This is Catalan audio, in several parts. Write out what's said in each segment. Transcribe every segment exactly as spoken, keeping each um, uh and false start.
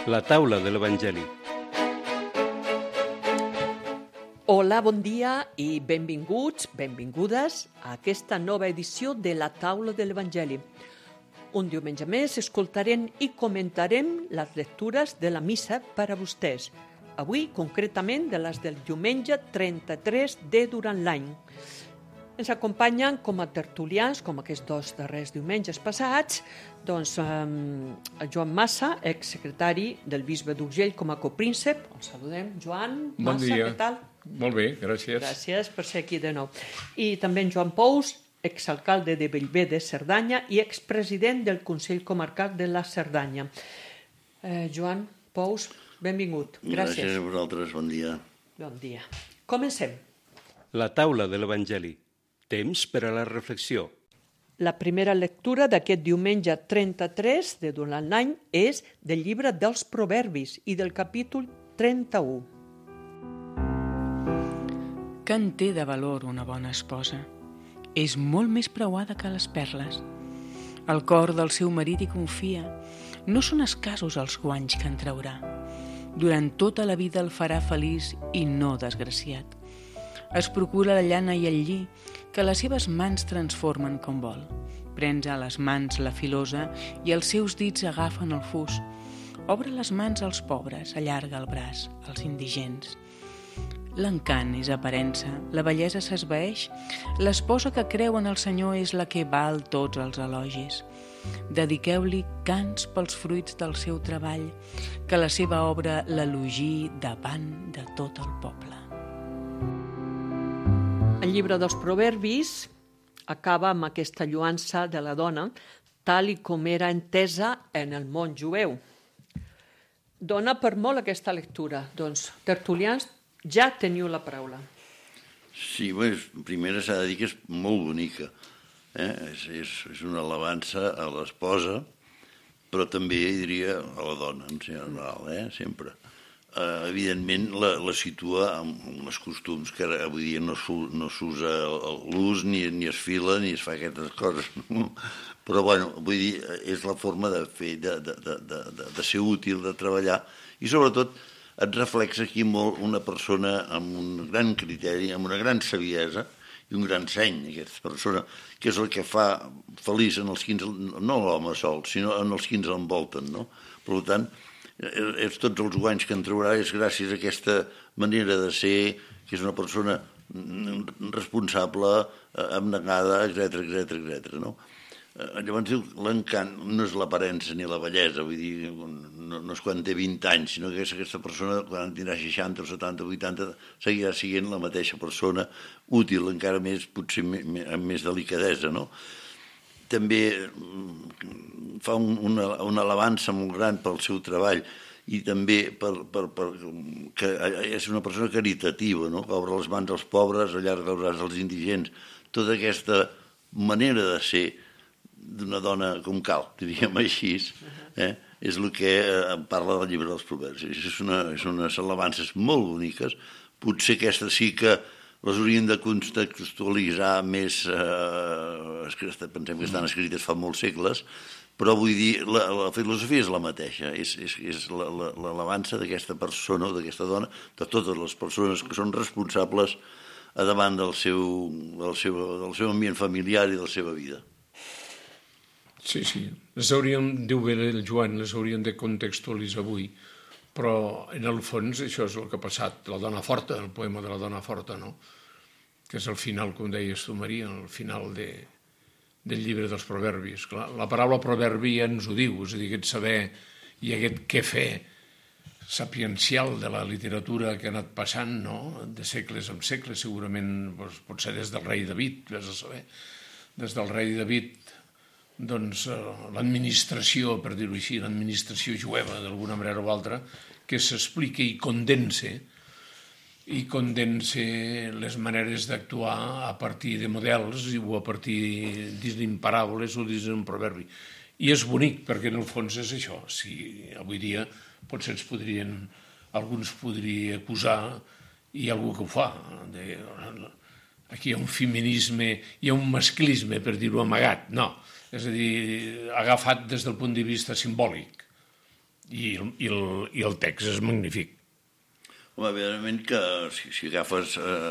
La taula de l'Evangeli. Hola, bon dia i benvinguts, benvingudes a aquesta nova edició de la taula de l'Evangeli. Un diumenge més escoltarem i comentarem les lectures de la missa per a vostès. Avui, concretament, de les del diumenge trenta-tres de durant l'any. Ens acompanyen com a tertulians, com aquests dos darrers diumenges passats, doncs eh, Joan Massa, exsecretari del bisbe d'Urgell com a copríncep. El saludem. Joan Bon Massa, dia. què tal? Molt bé, gràcies. Gràcies per ser aquí de nou. I també en Joan Pous, exalcalde de Bellver de Cerdanya i expresident del Consell Comarcal de la Cerdanya. Eh, Joan Pous, benvingut. Gràcies. Gràcies a vosaltres, bon dia. Bon dia. Comencem. La taula de l'Evangeli. Temps per a la reflexió. La primera lectura d'aquest diumenge trenta-tres de durant l'any és del llibre dels Proverbis i del capítol trenta-u. Que en té de valor una bona esposa? És molt més preuada que les perles. El cor del seu marit hi confia. No són escassos els guanys que en traurà. Durant tota la vida el farà feliç i no desgraciat. Es procura la llana i el lli, que les seves mans transformen com vol. Prens a les mans la filosa i els seus dits agafen el fus. Obre les mans als pobres, allarga el braç als indigents. L'encant és aparença, la bellesa s'esvaeix. L'esposa que creu en el Senyor és la que val tots els elogis. Dediqueu-li cants pels fruits del seu treball, que la seva obra l'elogiï davant de tot el poble. El llibre dels Proverbis acaba amb aquesta lloança de la dona, tal i com era entesa en el món jueu. Dona per molt aquesta lectura. Doncs, tertulians, ja teniu la paraula. Sí, bé, primera s'ha de dir que és molt bonica. Eh? És, és, és una alabança a l'esposa, però també, diria, a la dona, en general, eh? sempre. Uh, evidentment la, la situa amb uns costums que ara, avui dia no s'usa l'ús, ni, ni es fila, ni es fa aquestes coses. No? Però, bueno, vull dir, és la forma de fer, de, de, de, de, de ser útil, de treballar, i sobretot et reflexa aquí molt una persona amb un gran criteri, amb una gran saviesa i un gran seny, aquesta persona, que és el que fa feliç en els quins, no l'home sol, sinó en els quins l'envolten, no? Per tant, és tots els guanys que en traurà és gràcies a aquesta manera de ser, que és una persona responsable, abnegada, etcètera, etcètera, etcètera, no? Llavors diu, l'encant no és l'aparença ni la bellesa, vull dir, no, no és quan té vint anys, sinó que és aquesta persona, quan tindrà seixanta o setanta o vuitanta, seguirà sent la mateixa persona, útil, encara més, potser amb més delicadesa, no? També fa un, una, una alabança molt gran pel seu treball i també per, per, per, que és una persona caritativa, no? Que obre les mans als pobres, allarga el braç als indigents. Tota aquesta manera de ser d'una dona com cal, diríem així, eh? És el que parla del llibre dels Proverbis. És una, és unes alabances molt boniques. Potser aquesta sí que les haurien de contextualitzar més, eh, pensem que estan escrites fa molts segles, però vull dir, la, la filosofia és la mateixa, és, és, és l'alabança d'aquesta persona o d'aquesta dona, de totes les persones que són responsables a davant del seu, del seu, del seu ambient familiar i de la seva vida. Sí, sí, les hauríem, diu bé el Joan, les hauríem de contextualitzar avui, però en el fons això és el que ha passat, la dona forta, el poema de la dona forta, no? Que és el final, com deies tu, Maria, el final de, del llibre dels Proverbis. Clar, la paraula proverbi ja ens ho diu, és a dir, aquest saber i aquest què fer sapiencial de la literatura que ha anat passant, no? De segles en segles, segurament, doncs, potser des del rei David, vés a saber, des del rei David, doncs l'administració, per dir-ho així, l'administració jueva d'alguna manera o altra, que s'explica i condense i condense les maneres d'actuar a partir de models o a partir d'imparables o dins d'un proverbi. I és bonic, perquè en el fons és això. Si avui dia potser ens podrien, alguns podria acusar, i algú que ho fa, de, aquí hi ha un feminisme, hi ha un masclisme, per dir-ho amagat, no. És a dir, agafat des del punt de vista simbòlic. I, i, el, i el text és magnífic. Home, evidentment que si, si agafes eh,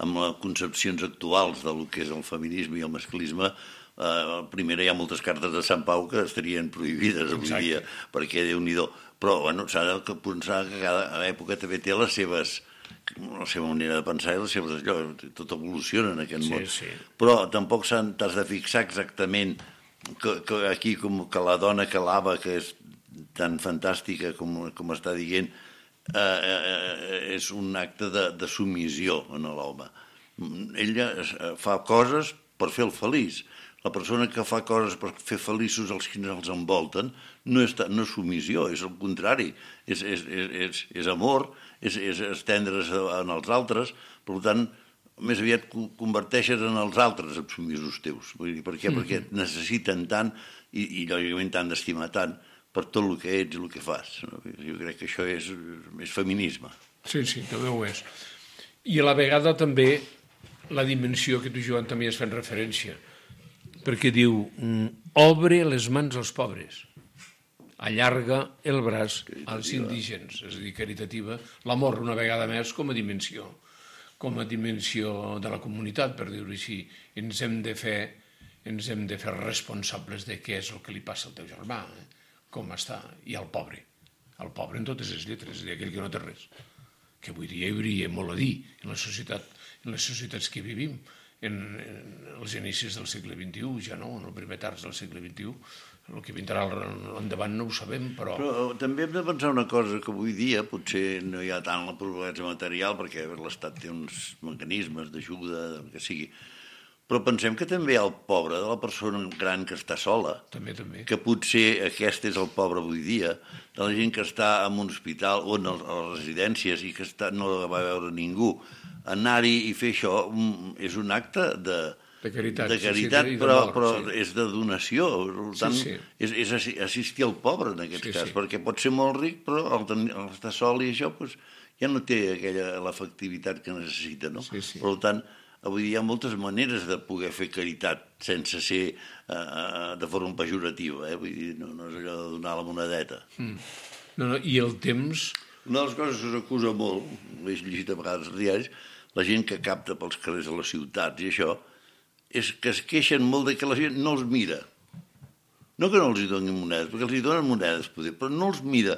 amb les concepcions actuals del que és el feminisme i el masclisme, eh, primera hi ha moltes cartes de Sant Pau que estarien prohibides avui Exacte. dia, perquè Déu-n'hi-do. Però bueno, s'ha de pensar que cada època també té les seves, la seva manera de pensar i les seves allò, tot evoluciona en aquest Sí, món. sí. Però tampoc s'han- t'has de fixar exactament que, que aquí com que la dona que lava, que és tan fantàstica com, com està dient, eh, eh, és un acte de, de submissió en l'home. Ella fa coses per fer-lo feliç. La persona que fa coses per fer feliços els que els envolten no és, no és submissió, és el contrari. És, és, és, és, és amor, és, és estendre's en els altres, per tant, més aviat converteixes en els altres els submisos teus. Vull dir, per què? Mm-hmm. Perquè et necessiten tant i, i lògicament t'han d'estimar tant per tot el que ets i el que fas. Jo crec que això és, és feminisme. Sí, sí, també ho és. I a la vegada també la dimensió que tu, Joan, també has fet referència, perquè diu, obre les mans als pobres, allarga el braç als indigents, és a dir, caritativa, l'amor una vegada més com a dimensió, com a dimensió de la comunitat, per dir-ho així. Ens hem de fer, ens hem de fer responsables de què és el que li passa al teu germà, eh? Com està, i al pobre, al pobre en totes les lletres, és a dir, aquell que no té res, que avui dia hi hauria molt a dir en la societat, en les societats que vivim, en, en els inicis del segle vint-i-u, ja no, en el primer terç del segle vint-i-u, el que vindrà endavant no ho sabem, però... Però també hem de pensar una cosa, que avui dia potser no hi ha tant la pobresa material, perquè l'Estat té uns mecanismes d'ajuda, del que sigui, però pensem que també hi ha el pobre de la persona gran que està sola, També, també. que potser aquest és el pobre avui dia, de la gent que està en un hospital o en les residències i que està, no la va veure ningú. Anar-hi i fer això és un acte de, De caritat, de sí, caritat sí, i però, d'amor, però sí. és de donació. Per tant, Sí, sí. És, és assi- assistir al pobre en aquest Sí, cas, sí. perquè pot ser molt ric, però al, ten- al estar sol i això doncs, ja no té aquella l'efectivitat que necessita. No? Sí, sí. Per tant, avui dia hi ha moltes maneres de poder fer caritat sense ser eh, de forma pejorativa. Eh? Vull dir, no, no és allò de donar la monedeta. Mm. No, no, i el temps... Una de les coses que s'acusa molt, l'he llegit a vegades als diaris, la gent que capta pels carrers de les ciutats i això, és que es queixen molt de que la gent no els mira. No que no els hi donin monedes, perquè els hi donen monedes, poder, però no els mira.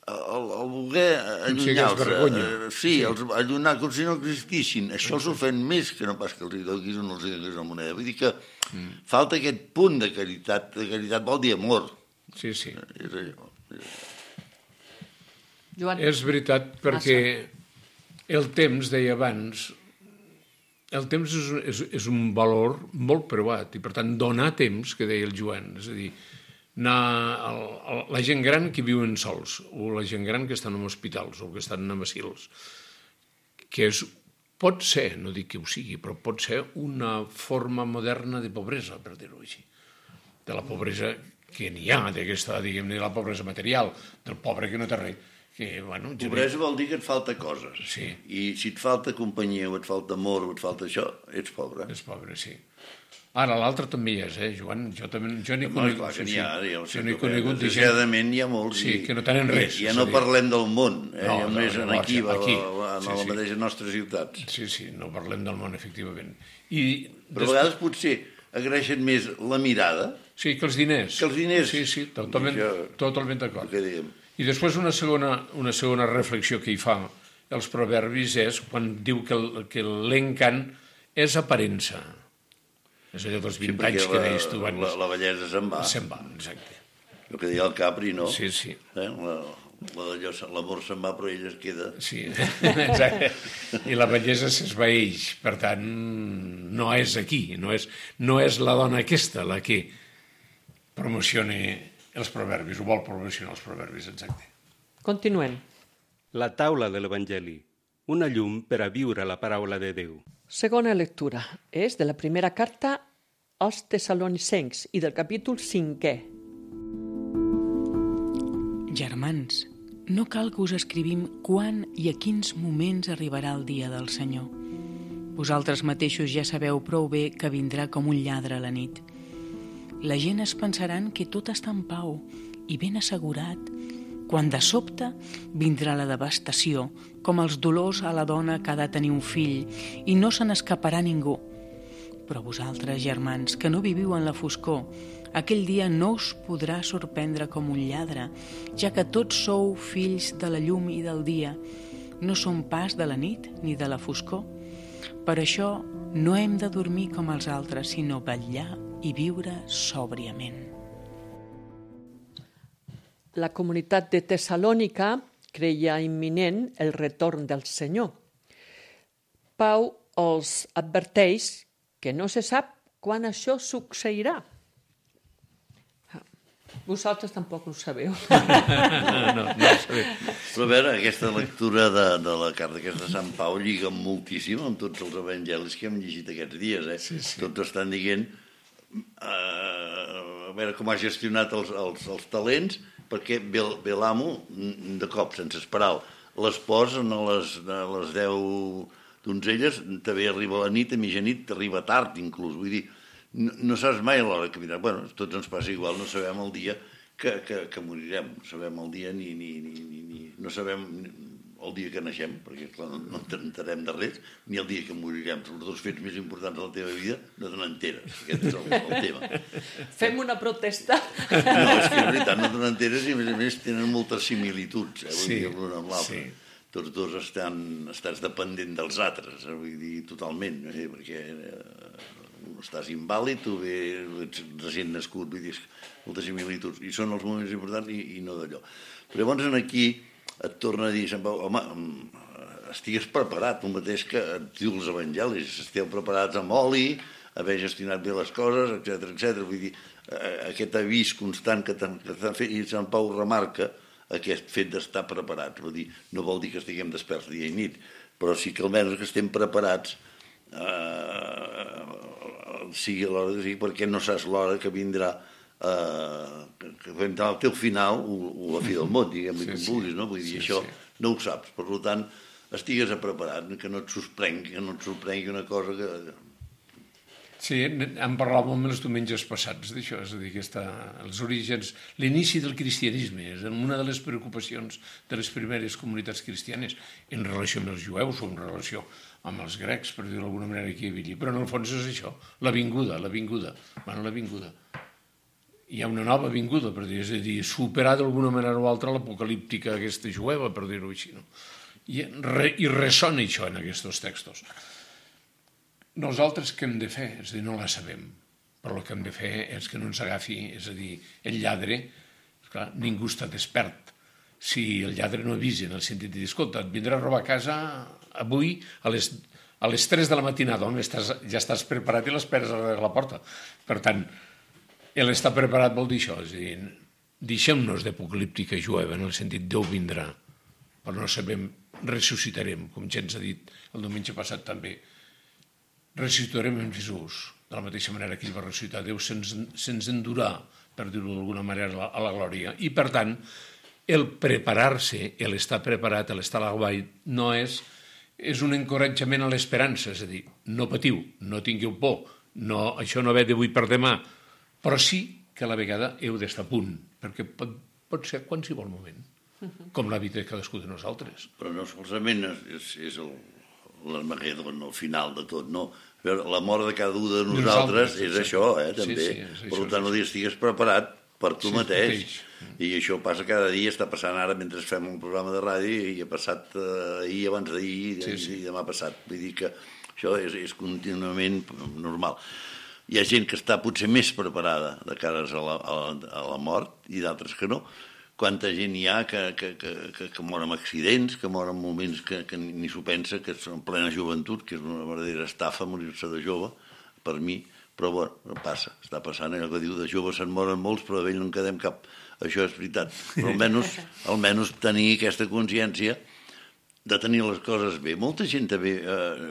El, el voler allunyar-los, vergonya. eh, sí, Sí. els allunyar com si no existissin, això els ofèn més que no pas que els hi donis o no els hi donis la moneda. Vull dir que mm. falta aquest punt de caritat, de caritat vol dir amor. Sí, sí. És allò. Joan, És veritat, perquè el temps, deia abans, el temps és, és, és un valor molt preuat i, per tant, donar temps, que deia el Joan, és a dir, anar el, el, la gent gran que viuen sols o la gent gran que estan en hospitals o que estan en asils, que és, pot ser, no dic que ho sigui, però pot ser una forma moderna de pobresa, per dir-ho així, de la pobresa que n'hi ha, d'aquesta, diguem-ne, de la pobresa material, del pobre que no té res. Que, bueno, Pobresa vol dir que et falta coses. Sí. I si et falta companyia, o et falta amor, o et falta això, ets pobre. És pobre, sí. Ara, l'altre també hi és, eh, Joan? Jo també jo n'he No, conegut... clar que sí, n'hi ha, sí. ja ho sé, Jo n'he però conegut de gent... desgraciadament hi ha molts Sí, i- que no tenen res, i ja és no a dir- parlem del món, eh? No, ja no, més no, en aquí, aquí, a, a, sí, a la sí. mateixa nostres ciutats. Sí, sí, no parlem del món, efectivament. I Però a vegades potser agraeixen més la mirada Sí, que els diners. que els diners. Sí, sí, totalment, Això- totalment d'acord. que diguem. I després una segona, una segona reflexió que hi fa els proverbis és quan diu que el- que l'encant és aparença. És allò dels vint perquè anys que deies tu la, abans. la, la bellesa se'n va. Se'n va, exacte. El que deia el Capri, no? Sí, sí. Eh? La, la d'allò, l'amor se'n va, però ella es queda. Sí, exacte. I la bellesa s'esvaeix, per tant, no és aquí, no és, no és la dona aquesta la que promociona els proverbis, ho vol promocionar els proverbis, exacte. continuem. La taula de l'Evangeli, una llum per a viure la paraula de Déu. Segona lectura és de la primera carta als Tessalonicencs i del capítol cinquè. Germans, no cal que us escrivim quan i a quins moments arribarà el dia del Senyor. Vosaltres mateixos ja sabeu prou bé que vindrà com un lladre a la nit. La gent es pensaran que tot està en pau i ben assegurat quan de sobte vindrà la devastació, com els dolors a la dona que ha de tenir un fill, i no se n'escaparà ningú. Però vosaltres, germans, que no viviu en la foscor, aquell dia no us podrà sorprendre com un lladre, ja que tots sou fills de la llum i del dia, no som pas de la nit ni de la foscor. Per això no hem de dormir com els altres, sinó vetllar i viure sòbriament. La comunitat de Tessalònica creia imminent el retorn del Senyor. Pau els adverteix que no se sap quan això succeirà. Vosaltres tampoc ho sabeu. No, no, no ho sabem. Però a veure, aquesta lectura de, de la carta aquesta de Sant Pau lliga moltíssim amb tots els evangelis que hem llegit aquests dies. Eh? Sí, sí. Tots estan dient uh, a veure com ha gestionat els, els, els talents, perquè ve, ve l'amo de cop, sense esperar-lo. Les posen a les, a les deu donzelles, també arriba a la nit, a mitjanit, t'arriba tard inclús. Vull dir, no, no saps mai a l'hora que vindrà. Bueno, tots ens passa igual, no sabem el dia que, que, que morirem. No sabem el dia ni, ni, ni, ni, ni... No sabem el dia que naixem, perquè clar, no, no enterem de res, ni el dia que morirem. Els dos fets més importants de la teva vida no te n'enteres. Aquest és el, el tema. Fem una protesta. No, és que és veritat, no te n'enteres i a més a més tenen moltes similituds, eh, vull Sí, dir, l'un amb l'altre. sí. Tots dos estan, estàs dependent dels altres, eh, vull dir, totalment, eh, perquè eh, estàs invàlid, tu bé, ets recient nascut, vull dir, moltes similituds, i són els moments importants i, i no d'allò. Però llavors aquí et torna a dir, Sant Pau, home, estigues preparat, el mateix que et diu els evangelis, esteu preparats amb oli, haver gestionat bé les coses, etcètera, etcètera. Vull dir, aquest avís constant que t'han fet, i Sant Pau remarca aquest fet d'estar preparats. Vull dir, no vol dir que estiguem desperts dia i nit, però sí que almenys que estem preparats eh, sigui a l'hora de dir, perquè no saps l'hora que vindrà eh, que vindrà el teu final o, o la fi del món, diguem-li sí, com sí. vulguis, no? Vull dir, sí, això sí. no ho saps. Per tant, estigues preparat, que no et sorprengui, que no et sorprengui una cosa que... Sí, en parlàvem els diumenges passats d'això, és a dir, que està, els orígens, l'inici del cristianisme és una de les preocupacions de les primeres comunitats cristianes en relació amb els jueus o en relació amb els grecs, per dir-ho d'alguna manera aquí a Villi, però en el fons és això, la vinguda, la vinguda, bueno, la vinguda. Hi ha una nova vinguda, per dir, és a dir, superar d'alguna manera o altra l'apocalíptica aquesta jueva, per dir-ho així, no? I, re, i ressona això en aquests textos. Nosaltres què hem de fer? És a dir, no la sabem, però el que hem de fer és que no ens agafi, és a dir, el lladre, esclar, ningú està despert. Si el lladre no avisa en el sentit de dir, escolta, et vindrà a robar a casa avui a les, a les tres de la matinada, on estàs, ja estàs preparat i l'esperes a la porta. Per tant, l'estar preparat vol dir això, és a dir, deixem-nos d'apocalíptica jueva en el sentit Déu vindrà, però no sabem, ressuscitarem, com ja ens ha dit el diumenge passat també, ressuscitarem en Jesús, de la mateixa manera que ell va ressuscitar. Déu se'ns, se'ns endurà, per dir-ho d'alguna manera, a la, a la glòria. I, per tant, el preparar-se, l'estar preparat, l'estar a l'aguait, no és, és un encoratjament a l'esperança, és a dir, no patiu, no tingueu por, no, això no ve d'avui per demà, però sí que a la vegada heu d'estar a punt, perquè pot, pot ser a qualsevol moment, com la vida de cadascú de nosaltres. Però no solament és, és el, l'Armagedon, el final de tot, no. La mort de cada un de nosaltres, nosaltres és sí. això, eh, també. Sí, sí, és per això, tant, no dir, estigues preparat per tu sí, mateix. mateix. I això passa cada dia, està passant ara mentre fem un programa de ràdio i ha passat eh, ahir, abans d'ahir sí, sí. i demà passat. Vull dir que això és, és contínuament normal. Hi ha gent que està potser més preparada de cares a la, a la, a la mort i d'altres que no. Quanta gent hi ha que, que, que, que, que mor en accidents, que mor en moments que, que ni s'ho pensa, que són en plena joventut, que és una verdadera estafa morir-se de jove, per mi, però bueno, passa, està passant allò que diu, de joves se'n moren molts, però de vell no en quedem cap. Això és veritat, però almenys, almenys tenir aquesta consciència de tenir les coses bé. Molta gent també eh,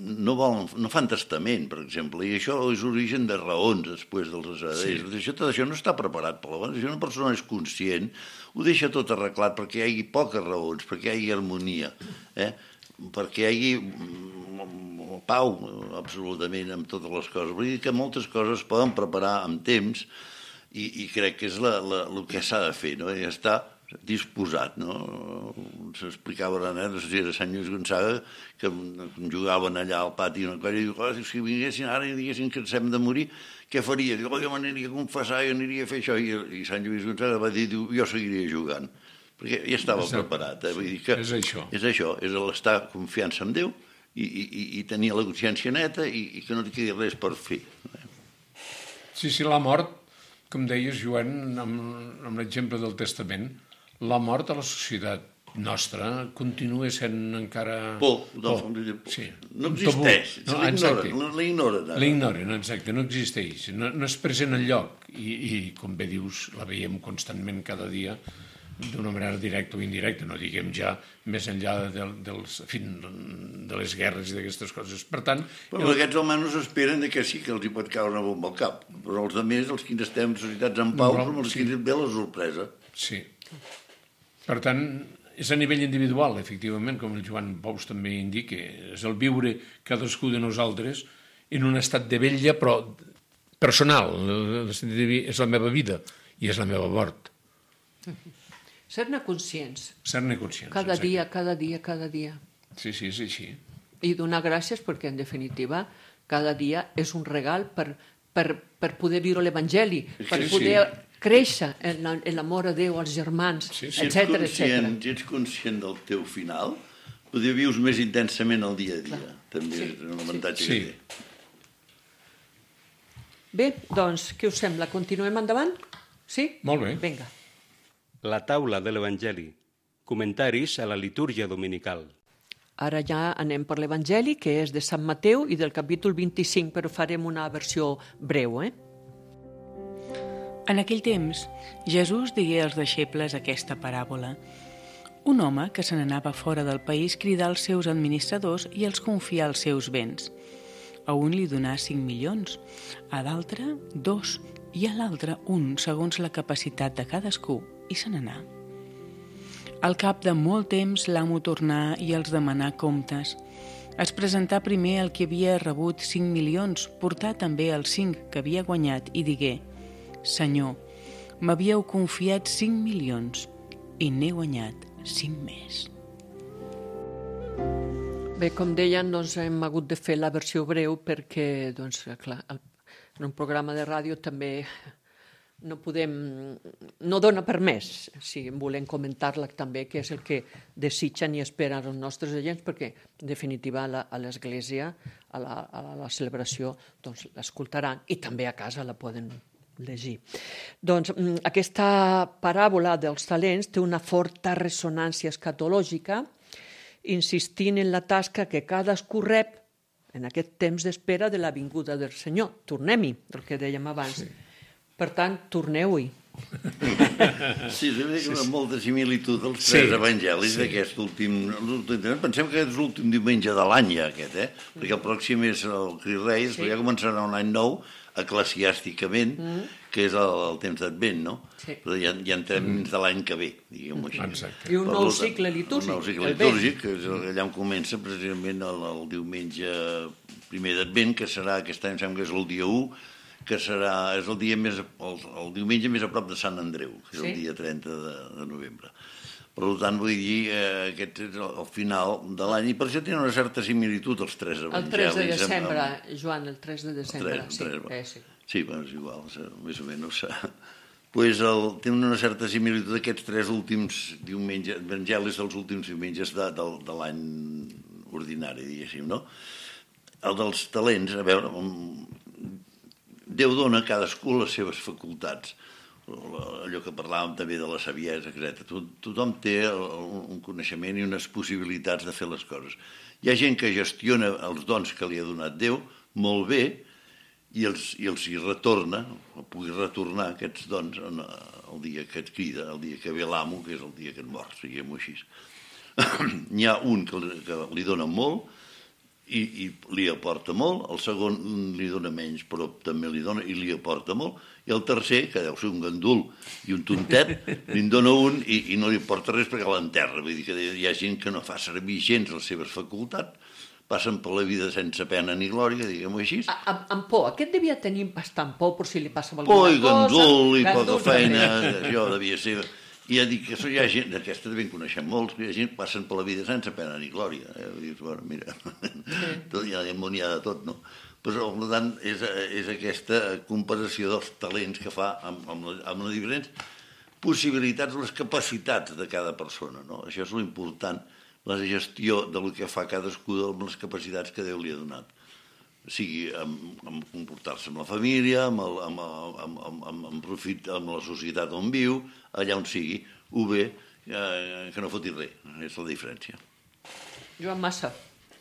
no, volen, no fan testament, per exemple, i això és origen de raons després dels assaders. Sí. Això, tot això no està preparat per l'abans. Si una persona és conscient, ho deixa tot arreglat perquè hi hagi poques raons, perquè hi hagi harmonia, eh? perquè hi hagi pau, absolutament, amb totes les coses. Vull dir que moltes coses es poden preparar amb temps i, i crec que és la, la, el que s'ha de fer, no? I ja està, disposat, no? S'explicava ara, no sé si era Sant Lluís Gonçaga, que jugaven allà al pati una cosa, i diu, oh, si vinguessin ara i diguessin que ens hem de morir, què faria? Diu, oh, jo m'aniria a confessar, jo aniria a fer això, i, i Sant Lluís Gonçaga va dir, diu, jo seguiria jugant, perquè ja estava Exacte. preparat. Eh? Vull dir que és això. És això, és l'estar confiança en Déu i, i, i tenir la consciència neta i, i que no et quedi res per fer. Sí, sí, la mort, com deies, Joan, amb, amb l'exemple del testament, la mort a la societat nostra continua sent encara... Por, no, por. Sí. No existeix, no, l'ignoren. L'ignoren, exacte, no existeix, no, no és present enlloc i, i, com bé dius, la veiem constantment cada dia d'una manera directa o indirecta, no diguem ja més enllà de, dels, en fi, de les guerres i d'aquestes coses. Per tant... Però el... aquests almenys esperen que sí que els hi pot caure una bomba al cap, però els altres, els que estem en societats en pau, som els sí. que ve la sorpresa. Sí. Per tant, és a nivell individual, efectivament, com el Joan Pous també indica, és el viure cadascú de nosaltres en un estat de vetlla, però personal, és la meva vida i és la meva mort. Ser-ne conscients. Ser-ne conscients, Cada exacte. dia, cada dia, cada dia. Sí, sí, és així. I donar gràcies perquè, en definitiva, cada dia és un regal per, per, per poder viure l'Evangeli, per sí, poder... Sí. créixer en l'amor a Déu, als germans, sí, sí, etcètera, etcètera. Si ets conscient del teu final, poder vius més intensament el dia a dia. Clar. També sí. és un avantatge sí. que té. Bé, doncs, què us sembla? Continuem endavant? Sí? Molt bé. Vinga. La taula de l'Evangeli. Comentaris a la litúrgia dominical. Ara ja anem per l'Evangeli, que és de Sant Mateu i del capítol vint-i-cinc, però farem una versió breu, eh? En aquell temps, Jesús digué als deixebles aquesta paràbola. Un home que se n'anava fora del país cridà als seus administradors i els confià els seus béns. A un li donà cinc milions, a l'altre dos i a l'altre un, segons la capacitat de cadascú, i se n'anà. Al cap de molt temps l'amo tornà i els demanà comptes. Es presentà primer el que havia rebut cinc milions, portà també els cinc que havia guanyat i digué: Senyor, m'havíeu confiat cinc milions i n'he guanyat cinc més. Bé, com deien, doncs, hem hagut de fer la versió breu perquè, doncs, clar, en un programa de ràdio també no podem, no dona per més, si volem comentar-la també, que és el que desitgen i esperen els nostres agents, perquè, en definitiva, a, la, a l'Església, a la, a la celebració, doncs, l'escoltaran i també a casa la poden llegir. Doncs aquesta paràbola dels talents té una forta ressonància escatològica, insistint en la tasca que cadascú rep en aquest temps d'espera de la vinguda del Senyor. Tornem-hi, del que dèiem abans. Sí. Per tant, torneu-hi. Sí, és veritat que hi ha molta similitud als tres sí. evangelis sí. d'aquest últim... Pensem que és l'últim diumenge de l'any ja, aquest, eh? Perquè el pròxim és el Crist Reis, sí. ja començarà un any nou, eclesiàsticament, mm. que és el, el temps d'Advent, no? Sí. Però ja, ja entrem dins de l'any que ve, diguem-ho així. Exacte. I un nou cicle litúrgic. Un nou cicle litúrgic, que és allà on comença precisament el, el diumenge primer d'Advent, que serà, aquest any sembla que és el dia u, que serà, és el dia més, el, el diumenge més a prop de Sant Andreu, que és sí. el dia trenta de, de novembre. Per tant, vull dir, eh, aquest és el, el final de l'any, i per això tenen una certa similitud els tres evangelis. El tres de desembre, amb, amb... Joan, el tres de desembre. El tres, sí, el tres, eh, sí. sí, bueno, és igual, més o menys. Pues el, tenen una certa similitud aquests tres últims diumenges, evangelis dels últims diumenges de, de, de l'any ordinari, diguéssim, no? El dels talents, a veure, Déu dona a cadascú les seves facultats. Allò que parlàvem també de la saviesa, etcètera. Tothom té un coneixement i unes possibilitats de fer les coses. Hi ha gent que gestiona els dons que li ha donat Déu molt bé i els, i els hi retorna, o pugui retornar aquests dons el dia que et crida, el dia que ve l'amo, que és el dia que et mors, diguem-ho així. N'hi ha un que li, que li dona molt i, i li aporta molt, el segon li dona menys però també li dona i li aporta molt, i el tercer, que deu ser un gandul i un tontet, li dona un i, i no li aporta res perquè l'enterra. Vull dir que hi ha gent que no fa servir gens les seves facultats, passen per la vida sense pena ni glòria, diguem-ho així. Amb, amb por, aquest devia tenir bastant por per si li passava alguna por i cosa. Gandul i poca feina, això devia ser... I ja dic que hi ha gent, d'aquesta també en coneixem molts, que hi ha gent que passen per la vida sense pena ni glòria. Eh? Dius, bueno, mira, tot, hi ha, hi ha de tot, no? Però, per tant, és, és aquesta comparació dels talents que fa amb, amb, les, amb les diferents possibilitats, les capacitats de cada persona, no? Això és l'important, la gestió del que fa cadascú amb les capacitats que Déu li ha donat. Sigui amb, amb comportar-se amb la família, amb, el, amb, amb, amb, amb, amb, profit, amb la societat on viu, allà on sigui, o bé eh, que no foti res, és la diferència. Joan Massa.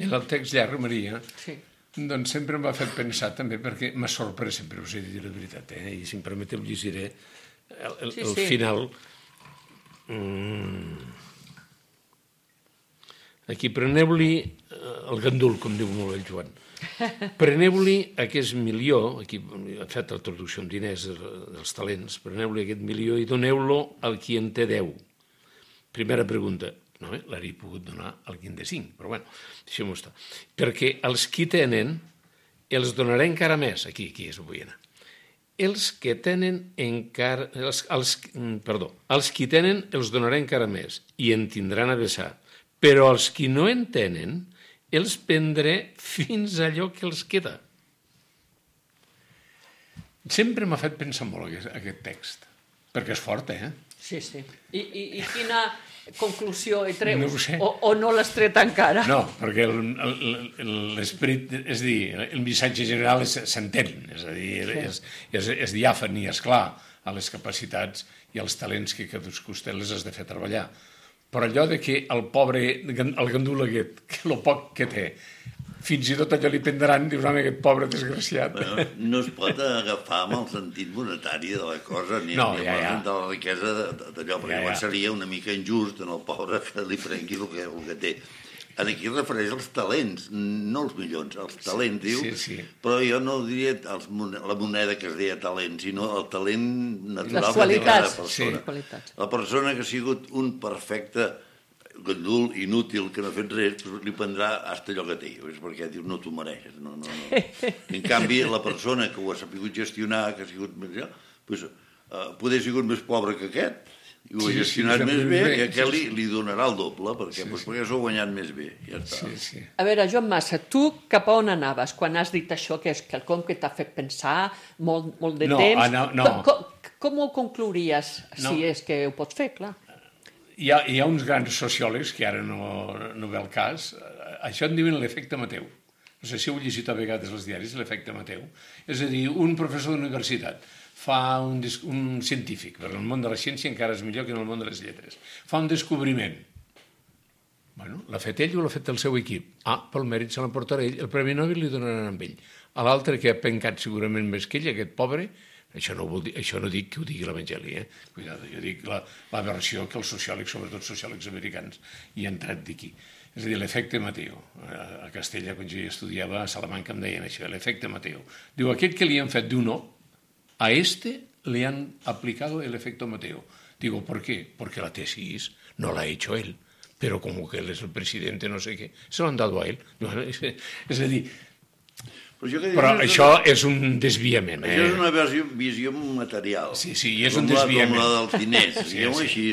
I el text llarg, Maria, Sí. doncs sempre m'ha fet pensar també, perquè m'ha sorprès, sempre us he dit la veritat, eh? I si em permeteu llegiré el, el, Sí, el sí. final. Mm. Aquí preneu-li el gandul, com diu molt el Joan. Preneu-li aquest milió, aquí ha fet la traducció en diners dels talents, preneu-li aquest milió i doneu-lo al qui en té deu. Primera pregunta, no, eh? L'hauria pogut donar al qui en té cinc, però bueno, deixem-ho estar. Perquè els qui tenen els donaré encara més, aquí, aquí és vull anar. Els que tenen encara, els, els, perdó, els qui tenen els donaré encara més i en tindran a vessar, però els qui no en tenen els prendré fins allò que els queda. Sempre m'ha fet pensar molt aquest, aquest text, perquè és fort, eh? Sí, sí. I, i, i quina conclusió hi treus? No ho sé. O, o no l'has tret encara? No, perquè l'esperit, és a dir, el missatge general s'entén, és a dir, és, és, és diàfan i és clar a les capacitats i els talents que cadascú té les has de fer treballar. Però allò de que el pobre, el gandul aquest, que el poc que té, fins i tot allò li prendran, dius, home, aquest pobre desgraciat. Bueno, no es pot agafar amb el sentit monetari de la cosa, ni, no, ni ja, amb ja. de la riquesa d'allò, perquè ja, ja. seria una mica injust en el pobre que li prengui el que, el que té. Aquí es refereix als talents, no els milions, els talents, diu, sí, sí. Però jo no diria els, la moneda que es deia talent, sinó el talent natural les qualitats, que té cada persona. sí, qualitats. La persona que ha sigut un perfecte gandul inútil, que no ha fet res, li prendrà hasta allò que té, és perquè diu, no t'ho mereixes. No, no, no. En canvi, la persona que ho ha sapigut gestionar, que ha sigut més, doncs, uh, poder ha sigut més pobre que aquest, i ho ha gestionat sí, sí, més bé, bé, i aquest sí, li, li donarà el doble, perquè, sí, doncs, sí. perquè s'ho ha guanyat més bé. Ja està. Sí, sí. A veure, Joan Massa, tu cap a on anaves quan has dit això, que és quelcom que t'ha fet pensar molt, molt de no, temps? Ah, no, no. Com, com, com ho conclouries, no. si és que ho pots fer, clar? Hi ha, hi ha uns grans sociòlegs, que ara no, no ve el cas, això en diuen l'efecte Mateu. No sé si heu llegit a vegades els diaris, l'efecte Mateu. És a dir, un professor d'universitat fa un, un científic, però en el món de la ciència encara és millor que en el món de les lletres, fa un descobriment. Bueno, l'ha fet ell o l'ha fet el seu equip? Ah, pel mèrit se l'emportarà ell, el Premi Nobel li donaran amb ell. A l'altre, que ha pencat segurament més que ell, aquest pobre, això no, vol dir, això no dic que ho digui l'Evangeli, eh? Cuidado, jo dic la, la versió que els sociòlegs, sobretot sociòlegs americans, hi han tret d'aquí. És a dir, l'efecte Mateu. A Castella, quan jo hi estudiava, a Salamanca em deien això, l'efecte Mateu. Diu, aquest que li han fet d'un no, a este le han aplicado el efecto Mateo. Digo, ¿por qué? Porque la tesis no la ha hecho él, pero como que él es el presidente, no sé qué, se lo han dado a él. És, és a dir, però, però és això una... és un desviament. Eh? Això és una visió, visió material. Sí, sí, i és un desviament. Com la dels diners, sí, diguem-ho sí. així.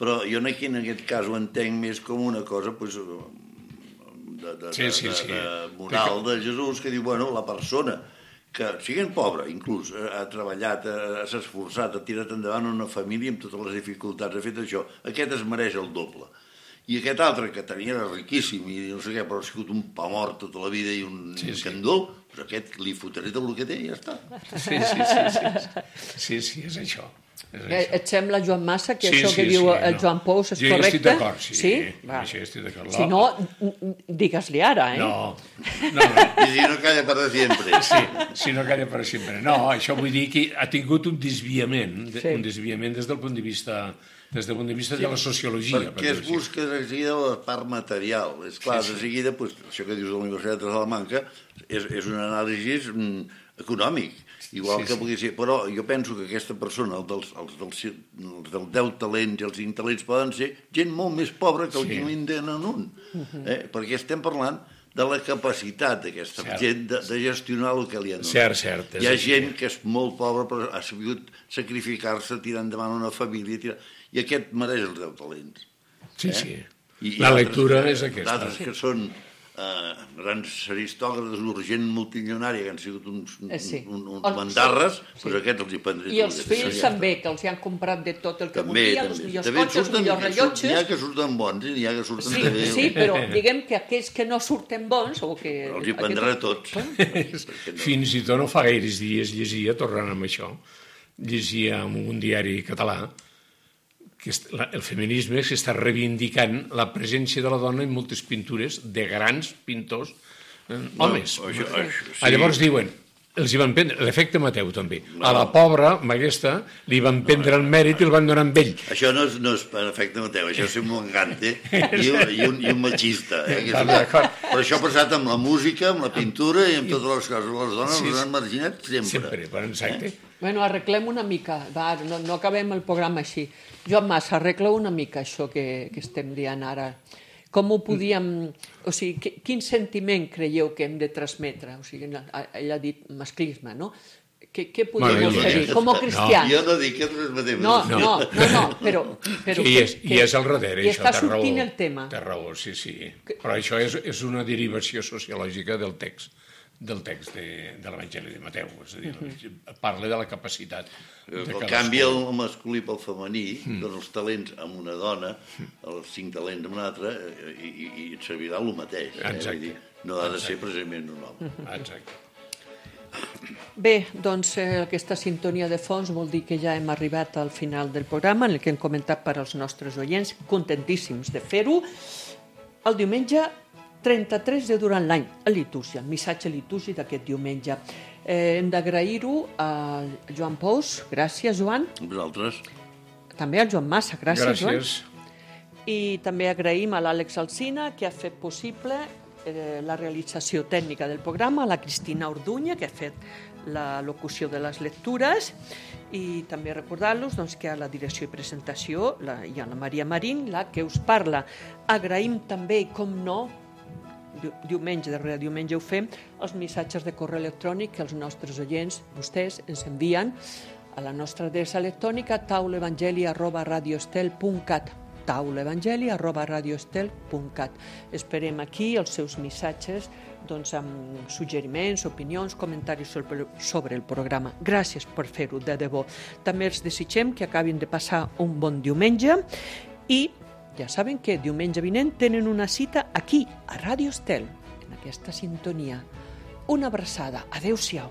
Però jo aquí en aquest cas ho entenc més com una cosa pues, de, de, sí, sí, de, sí. de moral de Jesús, que diu, bueno, la persona que, siguin pobre, inclús, ha treballat, s'ha esforçat, ha tirat endavant una família amb totes les dificultats, ha fet això, aquest es mereix el doble. I aquest altre, que tenia era riquíssim i no sé què, però ha sigut un pa mort tota la vida i un sí, sí. candol, doncs aquest li fotré tot el que té i ja està. Sí, sí, sí, sí, sí, sí és això. Eh, et sembla, Joan Massa, que sí, això sí, que diu sí, el no. Joan Pous és jo correcte? Jo estic d'acord, sí. Sí? Va. Això estic d'acord. Si no, digues-li ara, eh? No, no, no. I si no calla per sempre. Sí, si no calla per sempre. No, això vull dir que ha tingut un desviament, sí. un desviament des del punt de vista, des del punt de vista sí, de la sociologia. Perquè per es busca de seguida la part material. És clar, sí, sí. de seguida, pues, això que dius de la Universitat de Salamanca és, és un anàlisi mm, econòmic. Igual sí, que pugui ser, però jo penso que aquesta persona, els dels, els dels, els dels deu talents i els cinc talents poden ser gent molt més pobra que el sí. que en tenen un. Eh? Perquè estem parlant de la capacitat d'aquesta cert. gent de, de gestionar el que li han donat. Cert, cert. Hi ha gent que és molt pobra però ha sabut sacrificar-se, tirar endavant una família, tirar... i aquest mereix els deu talents. Sí, eh? sí. I, la i lectura que, és aquesta. D'altres que són eh, grans aristòcrates, urgent multimilionària, que han sigut uns, Eh, sí. un, un, El- mandarres, sí. doncs aquests els hi prendré. I els fills també, que els hi han comprat de tot el que També, volien, els també. millors També cotxes, els surten, millors n'hi ha rellotges... que surten bons i n'hi ha que surten Sí, també. sí, però diguem que aquells que no surten bons... O que... Els hi prendrà tots. No. Fins i tot no fa gaires dies llegia, tornant amb això, llegia en un diari català que el feminisme s'està reivindicant la presència de la dona en moltes pintures de grans pintors eh, homes. No, això, això, sí. Llavors diuen, els hi van prendre, l'efecte Mateu també, no. A la pobra, amb aquesta, li van prendre el mèrit i el van donar amb ell. Això no és, no és per efecte Mateu, això és un mongante i, un, i, un, i un machista. Eh? Que és una... Però això ha passat amb la música, amb la pintura i amb totes les coses. Les dones sí, les han marginat sempre. Sempre, per exacte. Eh? Bueno, arreglem una mica, va, no, no acabem el programa així. Joan Mas, arregla una mica això que, que estem dient ara. Com ho podíem... O sigui, quin sentiment creieu que hem de transmetre? O sigui, ell ha dit masclisme, no? Què, què podem Bueno, oferir? Com a cristians? No, jo no dic que transmetem. No, no, no, no, però... però I és, que, i és al darrere, I això, està té raó. sortint el tema. Té raó, sí, sí. Però això és, és una derivació sociològica del text del text de, de l'Evangeli de Mateu, és a dir, uh-huh. Parla de la capacitat de El cadascú. canvi el masculí pel femení, mm. doncs els talents amb una dona, els cinc talents amb una altra, i, i, i et servirà el mateix. Eh? Exacte. Dir, no ha de Exacte. Ser precisament un home. Exacte. Bé, doncs eh, aquesta sintonia de fons vol dir que ja hem arribat al final del programa, en el que hem comentat per als nostres oients, contentíssims de fer-ho. El diumenge trenta-tres de durant l'any, a litúrgia, el missatge litúrgic d'aquest diumenge. Eh, hem d'agrair-ho a Joan Pous, gràcies, Joan. Vosaltres? També al Joan Massa, gràcies, Gràcies. Joan. I també agraïm a l'Àlex Alsina, que ha fet possible eh, la realització tècnica del programa, a la Cristina Orduña, que ha fet la locució de les lectures, i també recordar-los doncs, que a la direcció i presentació la, hi ha la Maria Marín, la que us parla. Agraïm també, com no, diumenge, darrere diumenge ho fem, els missatges de correu electrònic que els nostres oients, vostès, ens envien a la nostra adreça electrònica taulaevangeli arroba radioestel punt cat taulaevangeli arroba radioestel punt cat. Esperem aquí els seus missatges doncs, amb suggeriments, opinions, comentaris sobre, sobre el programa. Gràcies per fer-ho, de debò. També els desitgem que acabin de passar un bon diumenge i ja saben que diumenge vinent tenen una cita aquí, a Ràdio Estel, en aquesta sintonia. Una abraçada. Adéu-siau.